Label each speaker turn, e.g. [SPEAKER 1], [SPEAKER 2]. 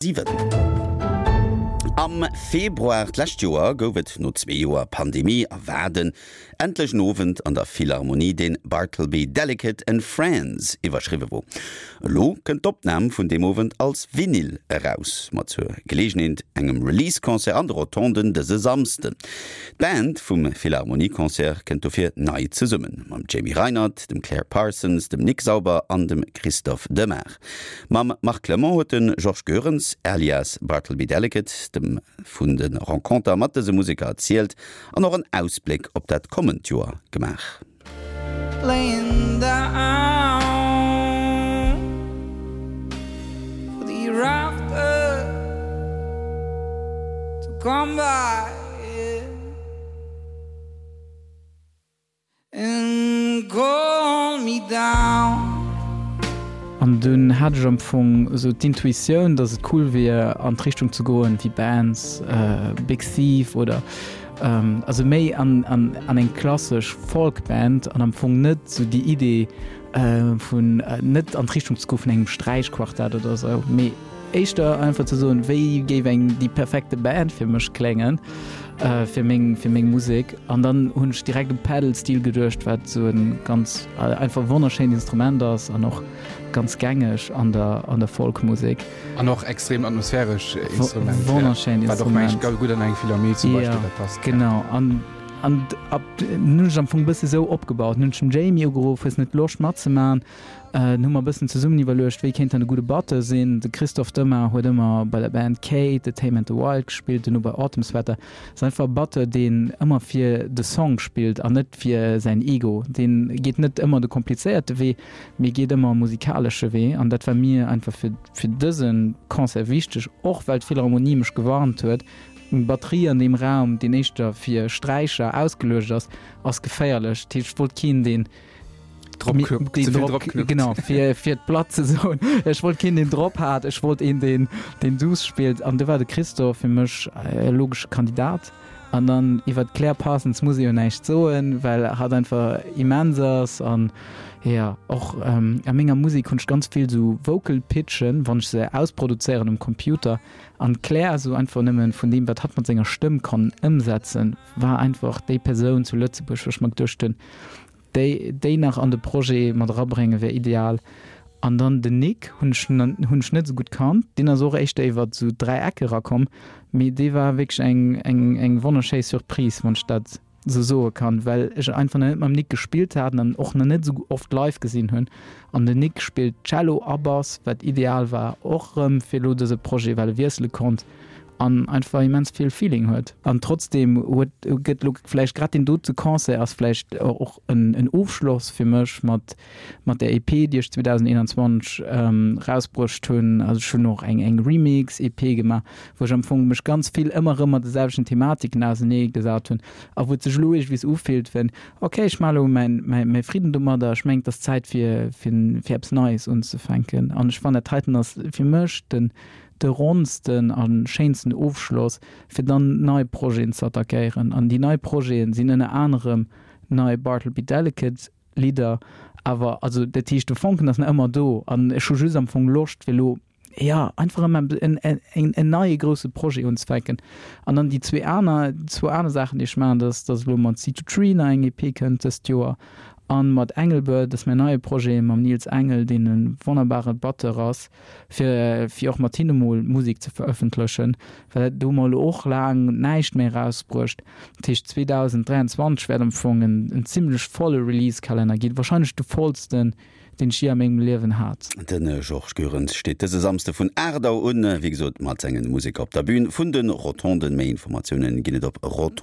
[SPEAKER 1] 7. Am Februar d'lescht Joer gouf et no zwee Joer Pandemie a Waarden endlech en Owend an der Philharmonie, deen Bartleby Delicate and Friends iwwerschriwwe wor. Elo kënnt d'Opnam vun deem Owend als Vinyl eraus, mat zur Geleegenheet engem Release-Concert an de Rotonden dëse Samsden. D'Band vum Philharmonie-Concert kënnt dofir nei zesummen, mam Jamie Reinert, dem Claire Parsons, dem Nick Sauber an dem Christophe Demart. Mam Marc Clement huet de Georges Goerens, alias Bartleby Delicate, dem vun de Renconter mat dëse Museker erzielt an och en Ausbléck op dat kommend Joer gemaach.
[SPEAKER 2] Laying down for the year after to come by. And call me down.
[SPEAKER 3] An dunn hat ech am Fong esou d'Intuitioun, dass et cool wier an d'Richtung ze goen wéi Bands, Big Thief oder also méi an an an eng klassesch Folkband an am Fong net esou déi Idee vun net an d'Richtung ze goe vun engem Sträichquartett oder esou, mee Éischter einfach ze soen, wéi géif eng déi perfekte Band fir mech kléngen, fir meng, fir meng Musek. An dann hunn ech direkt u Pedal Steel geduecht, wat esou e ganz einfach wonnerschéint Instrument ass an och ganz gängeg an der, an der Folkmusek.
[SPEAKER 4] An och extrem atmosphäresch Instrument.
[SPEAKER 3] Wonnerschéint
[SPEAKER 4] Wat och
[SPEAKER 3] Instrument.
[SPEAKER 4] mengen ech gutt an eng Philharmonie zum Beispill da passt.
[SPEAKER 3] Genau. An, an ab hunn ech am Fong e bësse sou opgebaut. Hunn ech den Jamie ugeruff, hues net Loscht matzemaachen? Dunn hu mer e bëssen zesummen iwwerluecht, wéi kéint dann e gudde Batteur sinn. De Christophe Demmer huet ëmmer bei der Band Kate, The Tame and the Wild gespillt, duerno bei Autumn Sweater. Ass einfach e Batteur, deen ëmmer fir de Song spillt an net fir säin Ego. Dee geet net ëmmer de komplizéierte Wee, mee geet ëmmer e musikalesche Wee. An dat war mir einfach fir fir dëse Concert wichteg, och well d'Philharmonie mech gewarnt huet, Eng Batterie an deem Raum, deen éischter fir Sträicher ausgeluecht ass, ass geféierlech. Dat heescht, ech wollt keen, deen
[SPEAKER 4] Drop knuppt,
[SPEAKER 3] deen
[SPEAKER 4] ze vill
[SPEAKER 3] drop,
[SPEAKER 4] drop knuppt.
[SPEAKER 3] Genau, fir, fir d'Platt ze soen. Ech wollt keen, deen drop hat, ech wollt een, deen, deen duuss spillt. An do war de Christophe fir mech e logesche Kandidat. An dann iwwer d'Claire Parsons muss ee jo näischt soen, well hatt einfach immens ass. An jo, och a menger Musek hunn ech ganz vill esou Vocal Pitchen, wann ech se ausproduzéieren um Computer. An d'Claire esou einfach nëmmen vun deem, wat hatt mat senger Stëmm kann ëmsetzen, war einfach déi Persoun zu Lëtzebuerg, wou ech mer geduecht hunn, Déi déi nach an de Projet mat erabréngen wär ideal. An dann den Nick hunn ech hunn ech net esou gutt kannt, deen ass och éischter iwwert esou 3 Ecke erakomm, mee dee war wierklech eng eng eng wonnerschéi Surprise, wann ech dat esou soe kann, well ech einfach nach net mam Nick gespillt hat an och nach net esou oft live gesinn hunn. An den Nick spillt Cello a Bass, wat ideal war och erëm fir elo dëse Projet, well e wiessele konnt. an einfach immens vill Feeling huet. An trotzdem huet gëtt lo vläicht grad deen dote Concert ass vläicht och en en Ofschloss fir mech mat mat der EP déi ech 2021 rausbruecht hunn. Also ech hunn och eng eng Remix EP gemaach, wou ech am Fong mech ganz vill ëmmer erëm mat de selwechten Thematiken ausenee gesat hunn a wou et sech elo iergendwees ufillt wéi ok ech maache lo mäin mäin mäi Fridden domadder, ech mengen et ass Zäit fir fir fir eppes Neies unzefänken an ech fannen dat heiten ass fir mech den de ronnsten a schéinsten Ofschloss, fir dann nei Projeten ze attackéieren. An déi nei Projete sinn ënner anerem nei Bartleby Delicate Lidder, awer also dat heescht de Fonken ass nach ëmmer do an ech hu just am Fong Loscht fir elo, jo, einfach erëm en, en, en neie grousse Projet unzefänken. An dann déi zwee aner, zwou aner Saachen déi ech maachen, dat ass, datt elo mat Sea to Tree nach eng EP kënnt dëst Joer an mat Engelbird, dat ass mäin neie Projet mam Nils Engel, deen e wonnerbare Batteur ass, fir fir och mat hinne mol Musek ze verëffentlechen, well do hu mer elo och laang näischt méi erausbruecht. Dat heescht 2023 wäert am Fong en en zimmlech volle Release-Kalenner ginn, warscheinlech de vollsten, deen ech jee a mengem Liewen hat.
[SPEAKER 1] De Georges Goerens steet dëse Samsde vun 8 Auer un, wéi gesot, mat sengen Museker op der Bün vun de Rotonden. Méi Informatiounen ginn et op rotondes.